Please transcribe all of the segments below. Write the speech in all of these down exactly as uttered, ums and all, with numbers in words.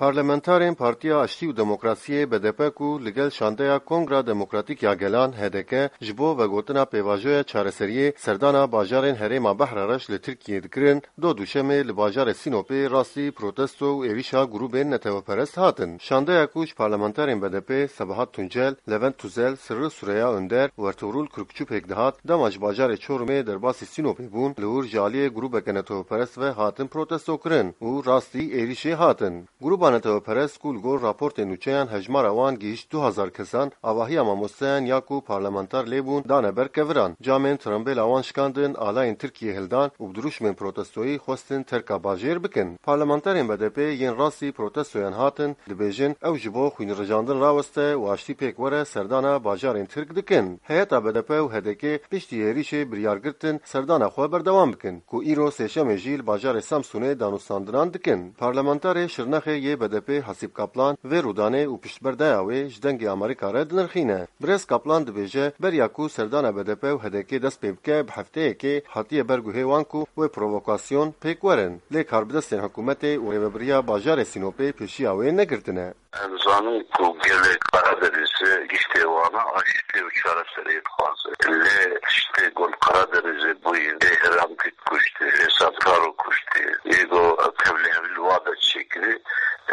Parlamenterên Partiya Aştî û Demokrasiyê, B D P, ku li gel şandeya Kongra Demokratîk ya Gelan, H D K, ji bo vegotina pêvajoya çareseriyê serdana bajarên herêma Behra Reş li Tirkiyê dikirin, do Duşemê li bajarê Sînopê rastî protesto û êrîşa grûbên neteweperest hatin. Şandeya ku ji parlamenterên B D P Sebahat Tuncel, Levent Tuzel, Sirri Sureya Önder û Ertugrul Kürkçü pêk dihat, dema ji bajarê Çorumê derbasî Sînopê bûn, li wir ji aliyê grûbeke neteweperest ve hatin protesto kirin û rastî êrîşê hatin. Grûba neteweperest ku li gor raportên nûçeyan hejmara wan gihîşt du hezar kesan, avahiya mamosteyan ya ku parlamenter lê bûn dane ber keviran. Camên tirembêla wan şikandin, alayên Tirkiyê hildan û bi dirûşmên protestoyî xwestin terka bajêr bikin. Parlamenterên B D P yên rastî protestoyan hatin, dibêjin ew ji bo xwînrijandin raweste û aştî pêk were serdana bajarên Tirk dikin. Heyeta B D P û H D K piştî êrîşê biryar girtin serdana xwe berdewam bikin, ku îro sêşemê jî li bajarê Samsûnê danûstandinan dikin. Parlamenterê Şirnexê yê B D P Hasîb Kaplan vê rûdanê û piştberdaya wê ji Dengê Amerîka re dinirxîne. Birêz Kaplan dibêje, beriya ku serdana B D P û H D K dest pê bike, bi hefteyekê hatiye ber guhê wan ku wê provokasyon pêk werin. Lê karbidestên hikûmetê û rêvebiriya bajarê Sînopê pêşiya wê negirtine. Em zanin ku gelê Karadenizê giştê wan e, aştî û çareseriyê dixwaze. Lê tiştê ku li Karadenizê bûyî, ê Hiramkî kuştî, ê Santaro kuştî, ê ku tevlîhevî li wa de çêkirî,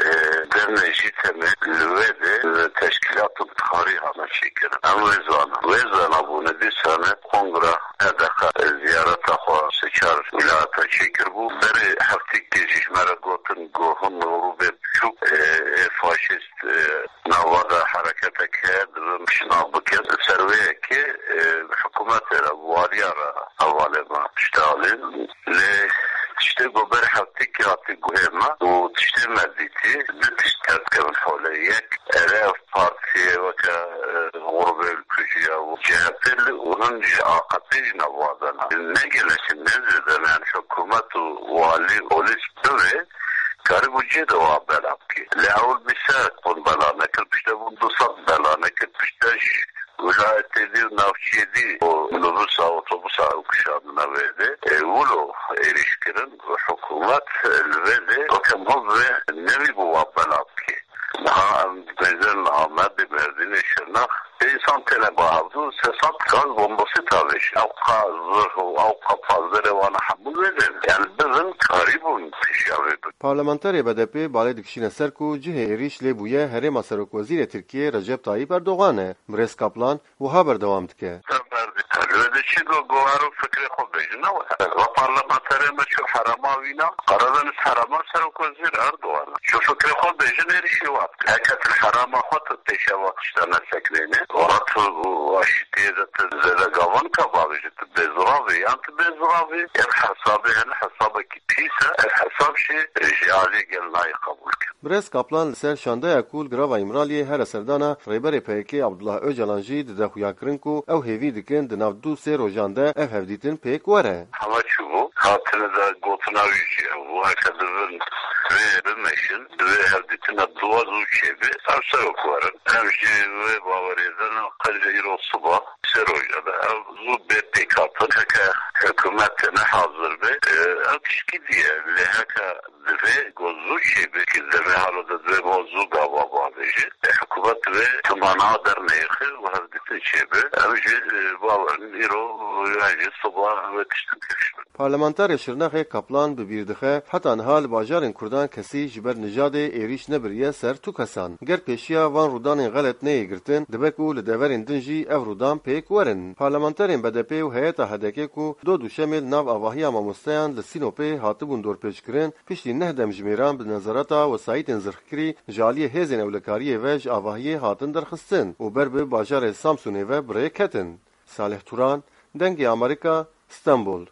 e, demê jî temê li wê de, e, teşkîlat û tarî hane çêkirin. Em wê zanin. Wê zanabûne dîsane kongra E D K ziyareta xwe sê çar wîlayeta çêkiribû. Berê heftêkê jî ji me re gotin ku hin grûbê biçûk, e, ê faşîst, e, nava de hereketek heye, divin piştnav bikin. Ser wê yekê, e, hikûmetê re, waliya re hevalê me tiştê alî. Lê tiştê ku berê heftêkê hatî guhê me û tiştê me dîtî, du tişt derdikevin holê. Yek, erê ev partiyê weke, e, Grûbê Ülkücü ya û C H P li û hin ji A K P jî nava de ne. Ne gelek in, ne zêde ne. Yani hikûmet û walî, polîs bivê, karîbû cihê de wa bela bikê. Lê ewil bîst serek bûn bela nekir, piştre bûn du sed bela nekir, piştre ji wîlayetê dî û navçiyê dî û minibûsa, otobusa ew kişandine vê dê. E, wilo êrîş kirin û hikûmet li vê dê weke miho bi vê nevî bû wa bela bikê. Niha em dibêjin Amedê, Mêrdînê, Şirnex, pê însan têne ba hevdû, sê sed gaz bombasî tavêjin. Ew qa zirh û ew qa panzerê wana hemû vê dê. Yani bivin karîbûn pêşiya vê bin. Parlamenterê B D P balê dikişîne ser ku cihê êrîş lê bûye herêma serokwezîrê Tirkiyê Recep Tayyip Erdogan e. Birêz Kaplan wiha berdewam dike. Li wê de çi got, got ero fikrê xwe bêjin, ne were. Va parlamenterê me çû herêma wîna, Karadeniz herêma serokwezîr Erdogan e. Çû fikrê xwe bêjin, êrîşî wa bike. Heke tu li herêma xwe tu pêşeva tişta nesekinêne, wala tu aşitiyê de tu zêde gavan ka bavêjî, tu bêziravî, yan tu bêziravî, ev hesabê hene, hesabekî pîs e, ev hesab jî ji aliyê gel nayê qebûl kirin. Birêz Kaplan li ser şandeya ku li Girava Îmraliyê here serdana Rêberê P Y K Abdullah Ocalan jî dide xuyakirin ku ew hêvî dikin di nav du sê rojan de ev hevdîtin pêk were. Hema çûbû, hatine de gotina wî jî ew bû, heke divin vê bimeşin, divê hevdîtina dua zû çêbe, ew serok werin. Em jî wê bawerê de ne, qenca îro siba sê roja de ev zû bê pêkhatin, heke hikûmet têne hazir be, e, ew tişkî diye. Lê heke divê ku zû çêbe, ki demê halo de divê bo zû gava bavêje. E, hikûmet divê timana derneyêxe û hevdîtin çêbe. Ew jî, e, bawerin îro yan jî siba wê tiştin pêş bin. Parlamenterê Şirnexê Kaplan bi bîr dixe, heta niha li bajarên Kurdan kesî ji ber nijadê êrîş nebiriye ser tu kesan. Ger pêşiya van rûdanên xelet neyê girtin, dibe ku li deverên din jî ev rûdan pêk werin. Parlamenterên B D P û heyeta H D K ku do Duşemê li nav avahiya mamosteyan li Sînopê hatibûn dorpêçkirin, piştî neh demjimêran bi nezareta wesayîtên zirxkirî ji aliyê hêzên ewlekariyê ve ji avahiyê hatin derxistin û ber bi bajarê Samsûnê ve bi rê ketin. Salih Turan, Dengê Amerîka, Stenbol.